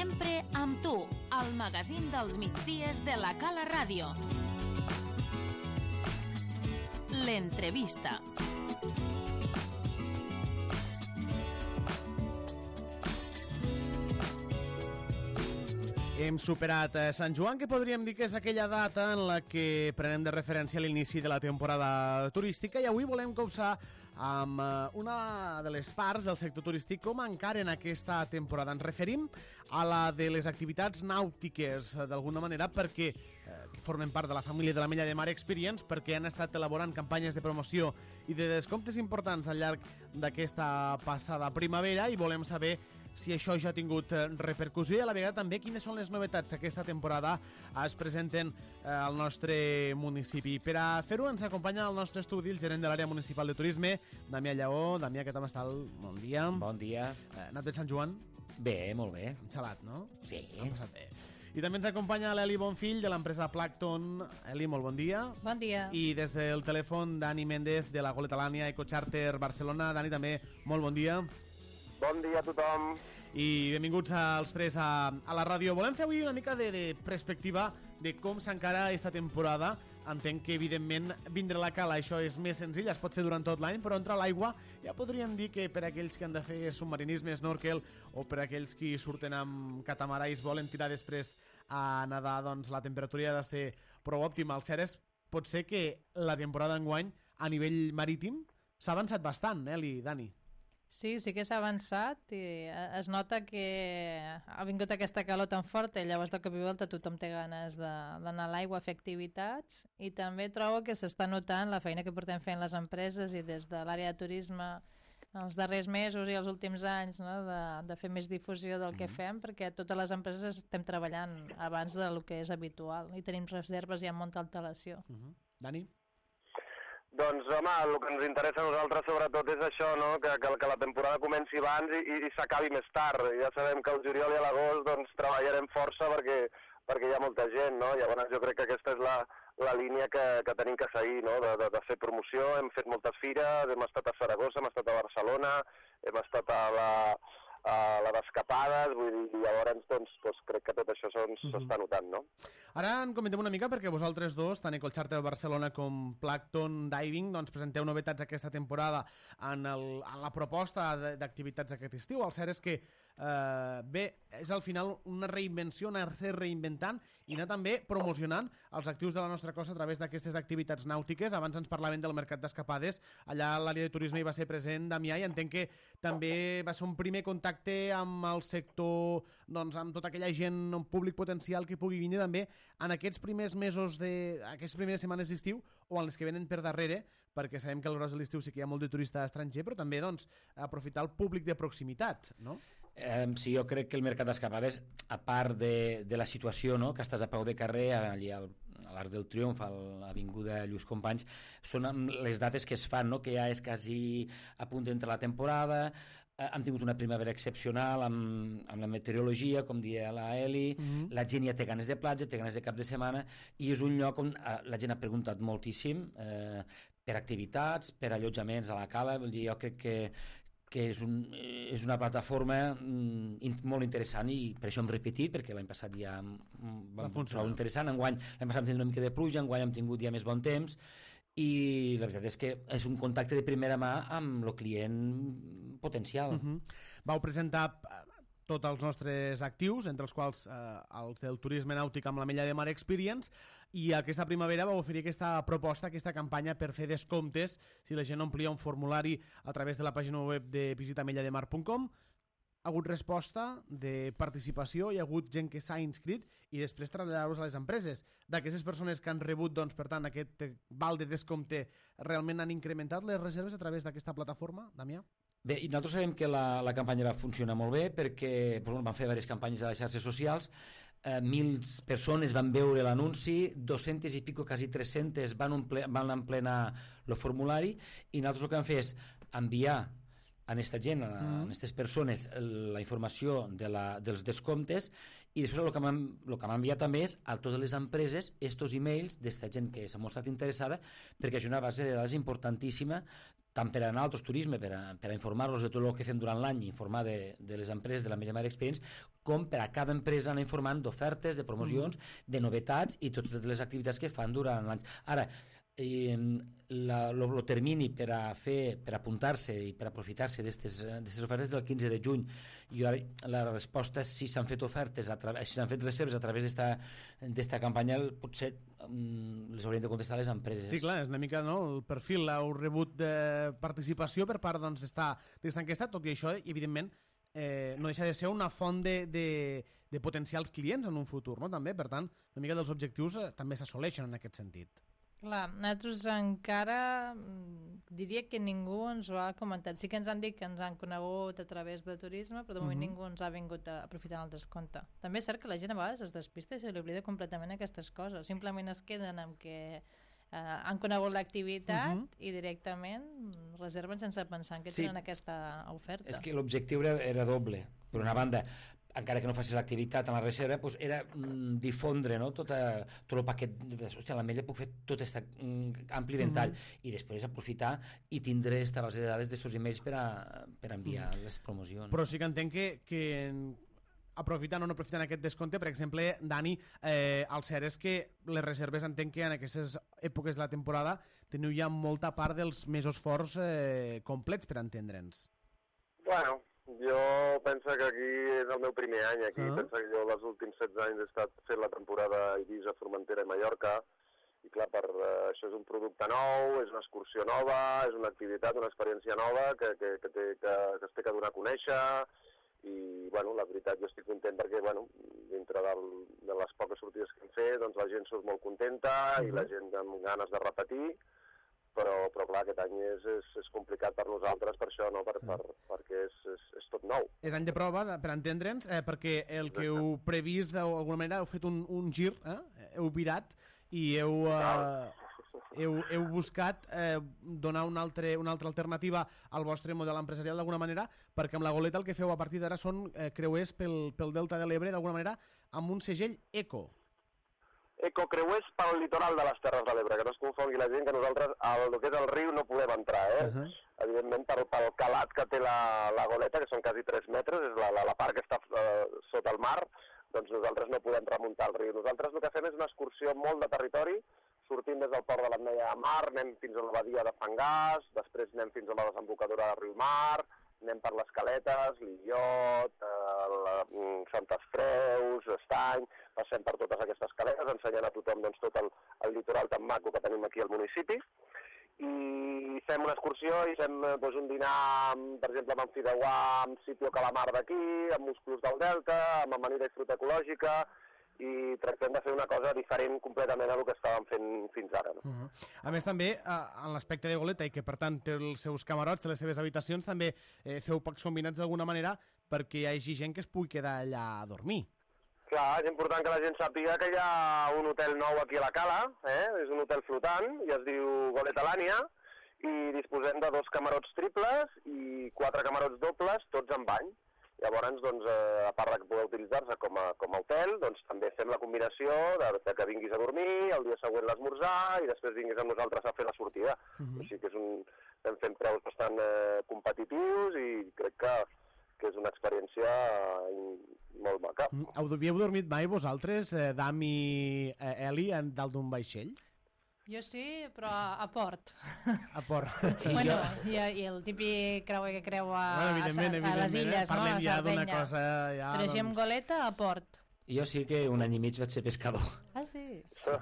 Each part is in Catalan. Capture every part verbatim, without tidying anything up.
Sempre amb tu, al magazín dels migdies de la Cala Ràdio. L'entrevista. Hem superat Sant Joan, que podríem dir que és aquella data en la que prenem de referència l'inici de la temporada turística, i avui volem copsar amb una de les parts del sector turístic com encara en aquesta temporada. Ens referim a la de les activitats nàutiques, d'alguna manera, perquè eh, que formen part de la família de l'Ametlla de Mar Experience, perquè han estat elaborant campanyes de promoció i de descomptes importants al llarg d'aquesta passada primavera, i volem saber si això ja ha tingut repercussió i a la vegada també quines són les novetats que aquesta temporada es presenten al nostre municipi. Per a fer-ho ens acompanya al nostre estudi el gerent de l'àrea municipal de turisme, Damià Lleó. Damià, què tal estàs? Bon dia. Bon dia. Eh, anat bé Sant Joan? Bé, molt bé. Enxalat, no? Sí. Ha passat bé. I també ens acompanya l'Eli Bonfill de l'empresa Plankton. Eli, molt bon dia. Bon dia. I des del telèfon, Dani Méndez de la Goleta Lània Ecocharter Barcelona. Dani, també molt bon dia. Bon dia a tothom. I benvinguts als tres a, a la ràdio. Volem fer avui una mica de, de perspectiva de com s'encara aquesta temporada. Entenc que, evidentment, vindre a la cala, això és més senzill, es pot fer durant tot l'any, però entrar a l'aigua ja podríem dir que per aquells que han de fer submarinisme, snorkel, o per aquells que surten amb catamarà i es volen tirar després a nedar, doncs la temperatura ha de ser prou òptima. El cert és, pot ser que la temporada enguany, a nivell marítim, s'ha avançat bastant, eh, Eli, Dani? Sí, sí que s'ha avançat i es nota que ha vingut aquesta calor tan forta i llavors de cop i volta tothom té ganes d'anar a l'aigua a fer activitats, i també trobo que s'està notant la feina que portem fent les empreses i des de l'àrea de turisme els darrers mesos i els últims anys, no? de, de fer més difusió del que fem, perquè totes les empreses estem treballant abans del que és habitual i tenim reserves ja amb molta antelació. Uh-huh. Dani? Doncs, home, el que ens interessa a nosaltres sobretot és això, no? que, que, que la temporada comenci abans i, i, i s'acabi més tard. Ja sabem que el juliol i l'agost doncs, treballarem força perquè, perquè hi ha molta gent, no? Llavors jo crec que aquesta és la, la línia que, que tenim que seguir, no? de, de, de fer promoció. Hem fet moltes fires, hem estat a Saragossa, hem estat a Barcelona, hem estat a la... a la d'escapades, vull dir, llavors doncs, doncs crec que tot això s'està uh-huh. notant, no? Ara en comentem una mica perquè vosaltres dos, tant Ecocharter Barcelona com Plankton Diving, doncs presenteu novetats aquesta temporada en, el, en la proposta d'activitats aquest estiu. El cert és que eh, bé, és al final una reinvenció, anar-se reinventant i anar també promocionant els actius de la nostra costa a través d'aquestes activitats nàutiques. Abans ens parlaven del mercat d'escapades, allà l'àrea de turisme hi va ser present Damià, i entenc que també va ser un primer contacte amb el sector, doncs amb tota aquella gent, un públic potencial que pugui vindre també en aquests primers mesos de, aquestes primeres setmanes d'estiu o en les que venen per darrere, perquè sabem que al gros de l'estiu sí que hi ha molt de turista estranger, però també doncs aprofitar el públic de proximitat, no? Eh, sí, jo crec que el mercat d'escapades, a part de, de la situació, no? que estàs a peu de carrer, allà al, a l'Arc del Triomf, a l'avinguda Lluís Companys, són les dates que es fan, no? que ja és quasi a punt d'entrar la temporada. Eh, hem tingut una primavera excepcional amb, amb la meteorologia, com deia la Eli, mm-hmm. la gent ja té ganes de platja, té ganes de cap de setmana, i és un lloc on eh, la gent ha preguntat moltíssim eh, per activitats, per allotjaments a la cala. Vull dir, jo crec que que és, un, és una plataforma mm, molt interessant, i per això hem repetit, perquè l'any passat ja mm, vam trobar interessant. Enguany l'any passat vam tenir una mica de pluja, enguany hem tingut ja més bon temps, i la veritat és que és un contacte de primera mà amb el client potencial. Uh-huh. Vau presentar tots els nostres actius, entre els quals eh, els del turisme nàutic amb l'Ametlla de Mar Experience, i aquesta primavera va oferir aquesta proposta, aquesta campanya per fer descomptes si la gent omplia un formulari a través de la pàgina web de visita ametlla de mar punt com. Ha hagut resposta de participació, hi ha hagut gent que s'ha inscrit i després traslladar-los a les empreses. D'aquestes persones que han rebut, doncs, per tant, aquest val de descompte, realment han incrementat les reserves a través d'aquesta plataforma, Damià? Bé, i nosaltres sabem que la, la campanya va funcionar molt bé perquè doncs, van fer diverses campanyes a les xarxes socials, eh, mil persones van veure l'anunci, dos-centes i pico, quasi tres-centes van, omple, van emplenar el formulari, i nosaltres el que vam fer és enviar a aquesta gent, a aquestes persones, la informació de la, dels descomptes, i després el que m'han el que m'ha enviat també és a totes les empreses estos e-mails d'esta gent que s'ha mostrat interessada, perquè és una base de dades importantíssima tant per a nosaltres turisme, per a, per a informar-los de tot el que fem durant l'any, informar de, de les empreses de l'Ametlla de Mar Experience, com per a cada empresa anar informant d'ofertes, de promocions, mm. de novetats i totes les activitats que fan durant l'any. Ara, eh, el termini per a fer, per apuntar-se i per aprofitar-se d'aquestes ofertes del quinze de juny. I ara la resposta és si s'han fet ofertes, a tra... si s'han fet reserves a través d'esta campanya, potser um, les haurien de contestar les empreses. Sí, clar, és una mica no, el perfil, heu rebut de participació per part doncs, d'esta enquesta, tot i això, i evidentment, Eh, no deixa de ser una font de, de, de potencials clients en un futur, no? També, per tant, una mica dels objectius eh, també s'assoleixen en aquest sentit. Clar, nosaltres encara diria que ningú ens ho ha comentat. Sí que ens han dit que ens han conegut a través de turisme, però de moment uh-huh. ningú ens ha vingut a aprofitar el descompte. També és cert que la gent a vegades es despista i se li oblida completament aquestes coses. Simplement es queden amb que Uh, han conegut l'activitat uh-huh. i directament reserven sense pensar en que sí. tenen aquesta oferta. És que l'objectiu era, era doble. Per una banda, encara que no facis l'activitat en la reserva, doncs era mm, difondre no? tot, a, tot el paquet. Hòstia, a l'ametlla puc fer tot aquest mm, ampli ventall uh-huh. i després aprofitar i tindre aquesta base de dades d'estos emails per a, per a enviar uh-huh. les promocions. Però sí que entenc que, que aprofitant o no aprofitant aquest descompte, per exemple, Dani, eh, el cert és que les reserves entenc que en aquestes èpoques de la temporada teniu ja molta part dels mesos forts eh, complets per entendre'ns. Bueno, jo penso que aquí és el meu primer any aquí, uh-huh. penso que jo els últims setze anys he estat fent la temporada a Eivissa, Formentera i Mallorca, i clar, per, uh, això és un producte nou, és una excursió nova, és una activitat, una experiència nova que, que, que, té, que, que es té que donar a conèixer. I, bueno, la veritat, jo estic content perquè, bueno, dintre del, de les poques sortides que hem fet, doncs la gent surt molt contenta uh-huh. i la gent amb ganes de repetir, però, però clar, aquest any és, és, és complicat per nosaltres per això, no? Per, per, perquè és, és, és tot nou. És any de prova, per entendre'ns, eh, perquè el que heu previst d'alguna manera heu fet un, un gir, eh? heu virat i heu... Eh, Heu, heu buscat eh, donar una, altre, una altra alternativa al vostre model empresarial d'alguna manera, perquè amb la Goleta el que feu a partir d'ara són eh, creuers pel, pel Delta de l'Ebre d'alguna manera amb un segell eco. Ecocreuers pel litoral de les Terres de l'Ebre, que no es confongui la gent que nosaltres al que és el riu no podem entrar, eh? Uh-huh. Evidentment pel, pel calat que té la, la Goleta, que són quasi tres metres, és la, la, la part que està eh, sota el mar, doncs nosaltres no podem remuntar el riu. Nosaltres el que fem és una excursió molt de territori, sortim des del port de l'Ametlla de Mar, anem fins a la badia de Fangàs, després anem fins a la desembocadura de Riu Mar, anem per les Caletes, l'Illot, eh, la, Santes Creus, Estany, passem per totes aquestes caletes, ensenyant a tothom doncs, tot el, el litoral tan maco que tenim aquí al municipi, i fem una excursió i fem doncs, un dinar, per exemple, amb Fideuà, amb Sitio Calamar d'aquí, amb musclos del Delta, amb amanida i fruita ecològica, i tractem de fer una cosa diferent completament a el que estàvem fent fins ara. No? Uh-huh. A més, també, en l'aspecte de Goleta, i que per tant té els seus camarots, té les seves habitacions, també eh, feu pocs combinats d'alguna manera perquè hi hagi gent que es pugui quedar allà a dormir. Clar, és important que la gent sàpiga que hi ha un hotel nou aquí a la Cala, eh? És un hotel flotant i es diu Goletalània, i disposem de dos camarots triples i quatre camarots dobles, tots amb bany. Llavors, doncs, eh, a part de poder utilitzar-se com, a, com a hotel, doncs, també fem la combinació de, de que vinguis a dormir, el dia següent l'esmorzar i després vinguis amb nosaltres a fer la sortida. Uh-huh. Així que és un, estem fent preus bastant eh, competitius i crec que, que és una experiència eh, molt maca. Uh-huh. Havíeu dormit mai vosaltres, eh, Dam i eh, Eli, dalt d'un vaixell? Jo sí, però a port. A port. Bueno, i, i el típic creuer que creua bueno, evidentment, a, a les illes, eh? Parlem no? A ja d'una Sardenya. cosa... Ja, però així doncs... amb goleta a port. Jo sí que un any i mig vaig ser pescador. Ah, sí? Sí.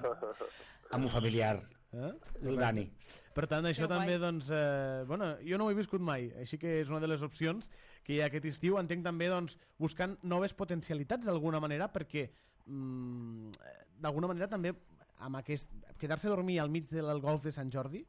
Amb un familiar, eh? el Dani. Per tant, això que també, guai. doncs... Eh, bueno, jo no ho he viscut mai, així que és una de les opcions que hi ha aquest estiu. Entenc també, doncs, buscant noves potencialitats d'alguna manera, perquè mm, d'alguna manera també amb aquest, quedar-se a dormir al mig del golf de Sant Jordi,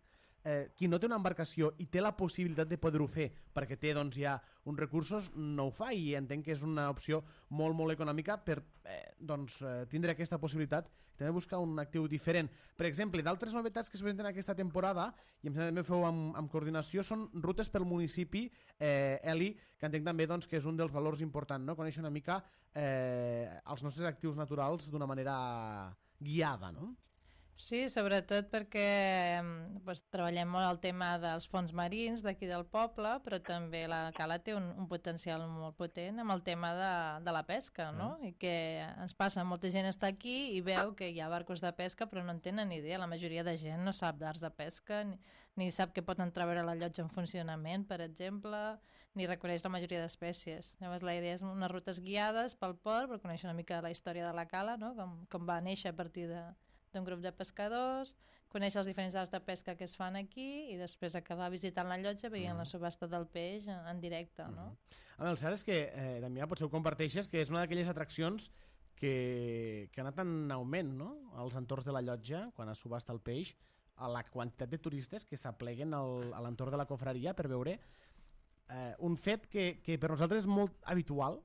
eh, qui no té una embarcació i té la possibilitat de poder-ho fer perquè té doncs, ja uns recursos, no ho fa, i entenc que és una opció molt, molt econòmica per eh, doncs, eh, tindre aquesta possibilitat i també buscar un actiu diferent. Per exemple, d'altres novetats que es presenten aquesta temporada, i em sembla que també feu amb, amb coordinació, són rutes pel municipi, eh, Eli, que entenc també doncs, que és un dels valors importants, no? Conèixer una mica eh, els nostres actius naturals d'una manera guiada, no? Sí, sobretot perquè pues, treballem molt el tema dels fons marins d'aquí del poble, però també la cala té un, un potencial molt potent amb el tema de, de la pesca, no? Mm. I que ens passa, molta gent està aquí i veu que hi ha barcos de pesca però no en tenen ni idea. La majoria de gent no sap d'arts de pesca, ni, ni sap que pot entreveure la llotja en funcionament, per exemple, ni reconeix la majoria d'espècies. Llavors la idea és unes rutes guiades pel port per conèixer una mica la història de la cala, no? com, com va néixer a partir de d'un grup de pescadors, conèixer els diferents arts de pesca que es fan aquí i després acabar visitant la llotja veient mm. la subhasta del peix en, en directe, no? Mm. A veure, el cert és que, eh, Damià, potser ho comparteixes, que és una d'aquelles atraccions que, que ha anat en augment, no?, als entorns de la llotja, quan es subhasta el peix, a la quantitat de turistes que s'apleguen al, a l'entorn de la cofreria per veure eh, un fet que, que per nosaltres és molt habitual,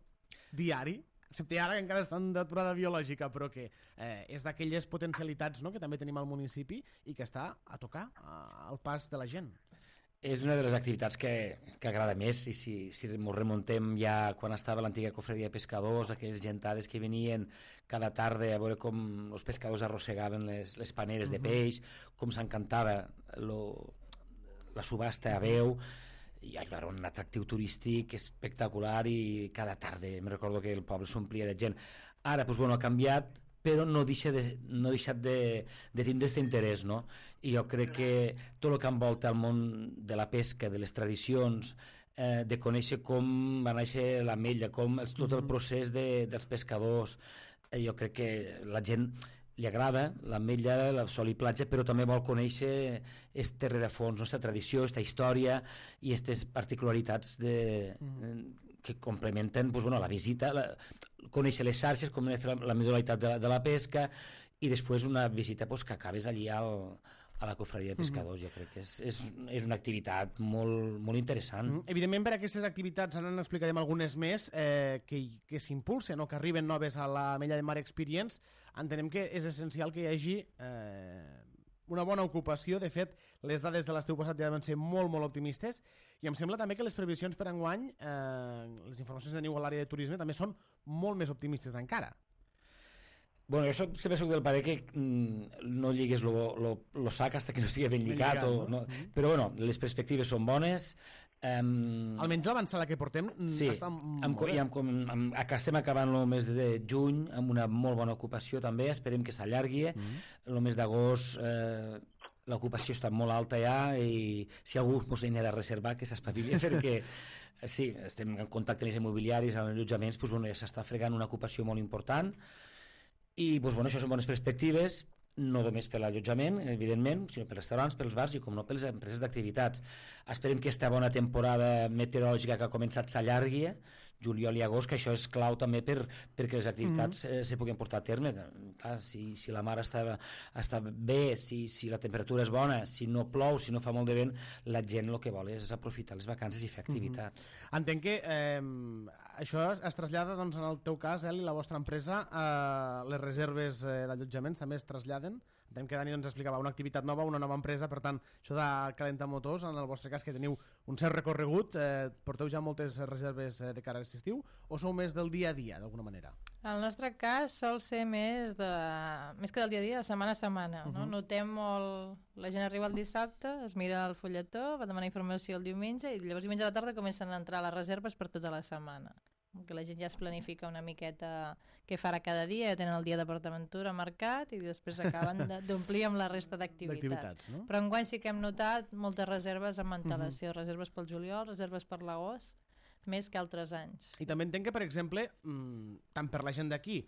diari, excepte ara que encara estan d'aturada biològica, però que eh, és d'aquelles potencialitats, no?, que també tenim al municipi i que està a tocar a, al pas de la gent. És una de les activitats que, que agrada més, i si, si ens remuntem ja quan estava l'antiga cofreria de pescadors, aquelles gentades que venien cada tarda a veure com els pescadors arrossegaven les, les paneres de peix, com s'encantava la subhasta a veu, i allò era un atractiu turístic espectacular i cada tarda me recordo que el poble s'omplia de gent. Ara pues, bueno, ha canviat, però no deixa de, no ha deixat de, de tindre aquest interès, no? I jo crec que tot el que envolta el món de la pesca, de les tradicions, eh, de conèixer com va néixer l'ametlla, com el, tot el procés de, dels pescadors, eh, jo crec que la gent li agrada l'ametlla, la sol i platja, però també vol conèixer este rerefons, nostra tradició, esta història i aquestes particularitats de, mm. que complementen pues, bueno, la visita, la, conèixer les xarxes, com fer la, la modalitat de, de la pesca i després una visita pues, que acabes allí al, a la cofreria de pescadors. Mm. Jo crec que és, és, és una activitat molt, molt interessant. Mm. Evidentment, per aquestes activitats, ara n'explicarem algunes més, eh, que, que s'impulsen o que arriben noves a la Mella de Mar Experience. Entenem que és essencial que hi hagi eh, una bona ocupació. De fet, les dades de l'estiu passat ja van ser molt, molt optimistes i em sembla també que les previsions per enguany, eh, les informacions que teniu a l'àrea de turisme, també són molt més optimistes encara. Bueno, jo soc, sempre soc del parer que mm, no lligues lo, lo, lo sac hasta que no estigui ben lligat, ben lligat o, no? No? Mm-hmm. Però bueno, les perspectives són bones. Um, Almenys l'avançada que portem sí, està molt amb, bé. I amb, amb, amb, estem acabant el mes de juny amb una molt bona ocupació també, esperem que s'allargui. Mm-hmm. El mes d'agost eh, l'ocupació està molt alta ja i si algú ens n'ha de reservar que s'espavili perquè sí, estem en contacte amb els immobiliaris, amb els allotjaments, doncs, bueno, ja s'està fregant una ocupació molt important. I doncs, bueno, això són bones perspectives, no només per l'allotjament, evidentment, sinó per restaurants, pels bars i, com no, per les empreses d'activitats. Esperem que aquesta bona temporada meteorològica que ha començat s'allargui, juliol i agost, que això és clau també per, perquè les activitats mm. eh, se puguin portar a terme. Clar, si, si la mar està, està bé, si, si la temperatura és bona, si no plou, si no fa molt de vent, la gent el que vol és aprofitar les vacances i fer activitats. Mm-hmm. Entenc que eh, això es, es trasllada, doncs, en el teu cas, Eli, la vostra empresa, eh, les reserves eh, d'allotjaments també es traslladen? Entenc que Dani ens explicava una activitat nova, una nova empresa, per tant, això de calentar motors, en el vostre cas, que teniu un cert recorregut, eh, porteu ja moltes reserves eh, de cara a aquest estiu, o sou més del dia a dia, d'alguna manera? El nostre cas sol ser més, de, més que del dia a dia, de setmana a setmana. Uh-huh. No? Notem molt... La gent arriba el dissabte, es mira el fulletó, va demanar informació el diumenge, i llavors diumenge a la tarda comencen a entrar les reserves per tota la setmana. Que la gent ja es planifica una miqueta què farà cada dia, ja tenen el dia de PortAventura marcat i després acaben d'omplir amb la resta d'activitats. No? Però enguany sí que hem notat moltes reserves amb antelació, uh-huh. reserves pel juliol, reserves per l'agost, més que altres anys. I també entenc que, per exemple, tant per la gent d'aquí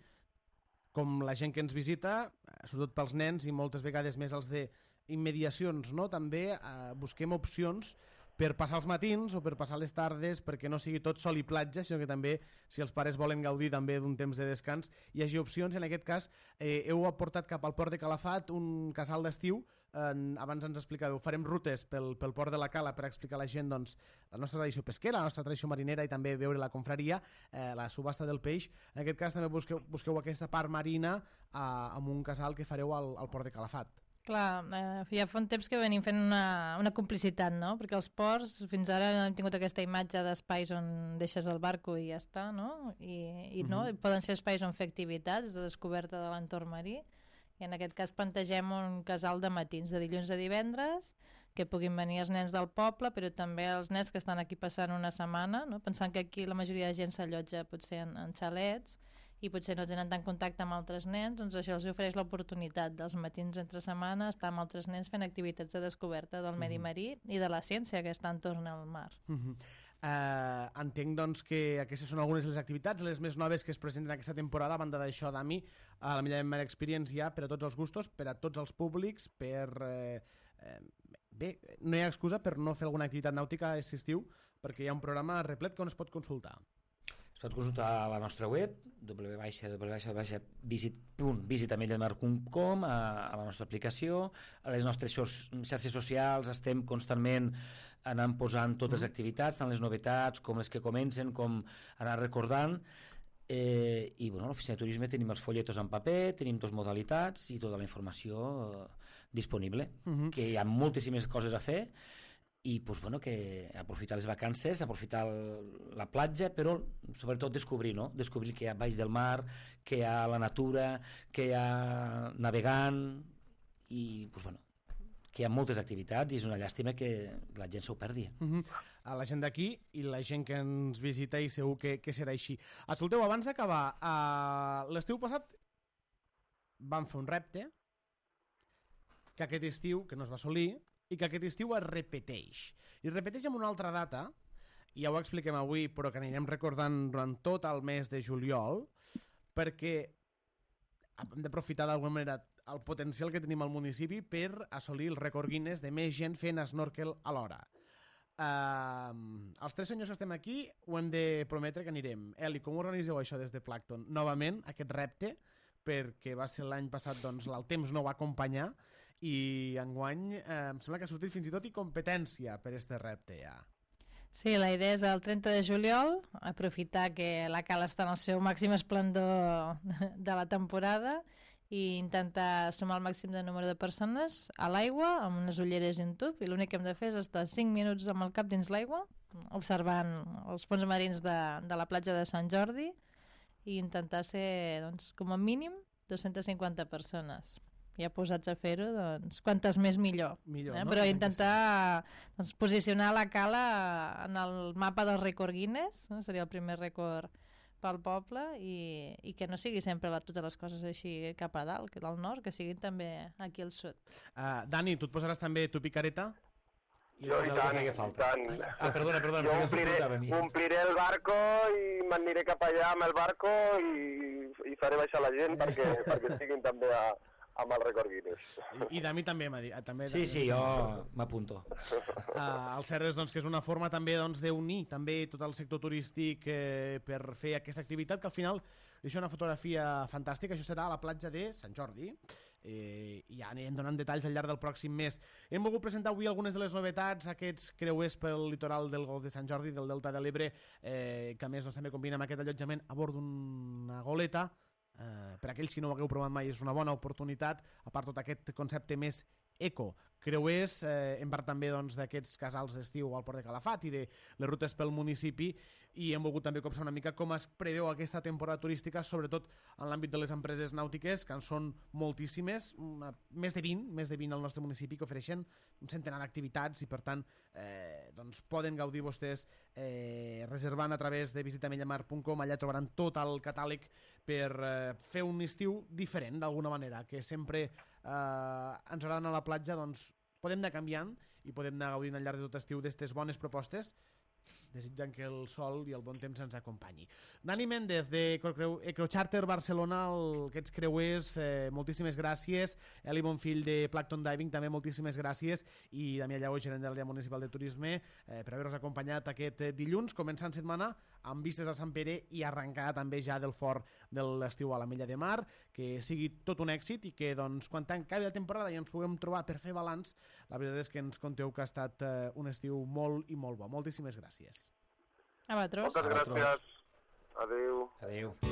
com la gent que ens visita, sobretot pels nens i moltes vegades més els d'immediacions, no? També eh, busquem opcions per passar els matins o per passar les tardes, perquè no sigui tot sol i platja, sinó que també, si els pares volen gaudir també d'un temps de descans, hi hagi opcions. En aquest cas, eh, heu aportat cap al port de Calafat un casal d'estiu. Eh, abans ens explicàveu, farem rutes pel, pel port de la Cala per explicar a la gent, doncs, la nostra tradició pesquera, la nostra tradició marinera i també veure la confraria, eh, la subhasta del peix. En aquest cas també busqueu, busqueu aquesta part marina eh, amb un casal que fareu al, al port de Calafat. Clar, eh, ja fa un temps que venim fent una, una complicitat, no? Perquè els ports, fins ara hem tingut aquesta imatge d'espais on deixes el barco i ja està, no? I, i no, uh-huh. poden ser espais on fer activitats de descoberta de l'entorn marí, i en aquest cas plantegem un casal de matins, de dilluns a divendres, que puguin venir els nens del poble, però també els nens que estan aquí passant una setmana, no? Pensant que aquí la majoria de gent s'allotja potser en, en xalets, i potser no tenen tant contacte amb altres nens, doncs això els ofereix l'oportunitat dels matins entre setmana estar amb altres nens fent activitats de descoberta del medi marí i de la ciència que està entorn al mar. Uh -huh. uh, entenc doncs que aquestes són algunes de les activitats, les més noves que es presenten aquesta temporada. A banda d'això, Dami, a la Millor Mar Experience hi ha per a tots els gustos, per a tots els públics, per... Eh, eh, bé, no hi ha excusa per no fer alguna activitat nàutica aquest estiu, perquè hi ha un programa replet que on es pot consultar. Es pot consultar a la nostra web, w w w punt visit punt visitamellamar punt com, a, a la nostra aplicació, a les nostres xarxes socials estem constantment anant posant totes les activitats, tant les novetats com les que comencen, com anar recordant, eh, i bueno, a l'oficina de turisme tenim els folletos en paper, tenim dues modalitats i tota la informació eh, disponible, uh -huh. que hi ha moltíssimes coses a fer, i pues, bueno, que aprofitar les vacances, aprofitar el, la platja, però sobretot descobrir, no? Descobrir que hi ha baix del mar, que hi ha la natura, que hi ha navegant, i pues, bueno, que hi ha moltes activitats i és una llàstima que la gent s'ho perdi. Uh -huh. A la gent d'aquí i la gent que ens visita, i segur que, que serà així. Escolteu, abans d'acabar, uh, l'estiu passat vam fer un repte que aquest estiu, que no es va assolir, i que aquest estiu es repeteix. I es repeteix en una altra data, i ja ho expliquem avui, però que anirem recordant durant tot el mes de juliol, perquè hem d'aprofitar d'alguna manera el potencial que tenim al municipi per assolir el rècord Guinness de més gent fent snorkel alhora. Uh, els tres senyors que estem aquí ho hem de prometre que anirem. Eli, com organitzeu això des de Plankton? Novament, aquest repte, perquè va ser l'any passat, doncs el temps no va acompanyar, i enguany eh, em sembla que ha sortit fins i tot i competència per este repte ja. Sí, la idea és el trenta de juliol, aprofitar que la cala està en el seu màxim esplendor de la temporada i intentar sumar el màxim de número de persones a l'aigua amb unes ulleres i un tub, i l'únic que hem de fer és estar cinc minuts amb el cap dins l'aigua observant els fons marins de, de la platja de Sant Jordi i intentar ser, doncs, com a mínim dos-centes cinquanta persones. Ja posats a fer-ho, doncs, quantes més millor. millor eh? no? Però intentar doncs, posicionar la cala en el mapa del rècord Guinness, no? Seria el primer rècord pel poble, i, i que no sigui sempre la, totes les coses així cap a dalt, que del nord, que siguin també aquí al sud. Uh, Dani, tu et posaràs també tu picareta? I jo, i tant, i tant. Ah, perdona, perdona. Jo ompliré, ompliré el barco i m'aniré cap allà amb el barco i, i faré baixar la gent perquè, perquè estiguin també a, amb el rècord Guinness. I, i Dami també m'ha dit. També, sí, sí, jo m'apunto. Uh, el cert és doncs, que és una forma també doncs, d'unir també tot el sector turístic eh, per fer aquesta activitat, que al final deixa una fotografia fantàstica. Això serà a la platja de Sant Jordi. Eh, i ja anirem donant detalls al llarg del pròxim mes. Hem volgut presentar avui algunes de les novetats, aquests creuers pel litoral del Golf de Sant Jordi, del Delta de l'Ebre, eh, que a més doncs, també combina amb aquest allotjament a bord d'una goleta. Eh, per aquells que no ho hagueu provat mai és una bona oportunitat, a part tot aquest concepte més eco. Creuers, eh, hem parlat també doncs, d'aquests casals d'estiu al Port de Calafat i de les rutes pel municipi, i hem volgut també copsar una mica com es preveu aquesta temporada turística, sobretot en l'àmbit de les empreses nàutiques, que en són moltíssimes, una, més de vint, més de vint al nostre municipi, que ofereixen un centenar d'activitats, i per tant eh, doncs poden gaudir vostès eh, reservant a través de visitamellamar punt com. Allà trobaran tot el catàleg per eh, fer un estiu diferent d'alguna manera, que sempre eh, ens agrada anar a la platja, doncs podem anar canviant i podem anar gaudint al llarg de tot estiu d'aquestes bones propostes, desitjant que el sol i el bon temps ens acompanyi. Dani Méndez, de Ecocharter Barcelona, el, aquests creuers, eh, moltíssimes gràcies. Eli Bonfill, de Plankton Diving, també moltíssimes gràcies. I Damià Lleó, gerent de l'àrea municipal de turisme, eh, per haver-nos acompanyat aquest dilluns, començant setmana amb vistes a Sant Pere i arrencar també ja del fort de l'estiu a la Mella de Mar. Que sigui tot un èxit i que doncs, quan acabi la temporada i ens puguem trobar per fer balanç, la veritat és que ens conteu que ha estat eh, un estiu molt i molt bo. Moltíssimes gràcies. A vosaltres. Moltes gràcies. Adéu. Adéu.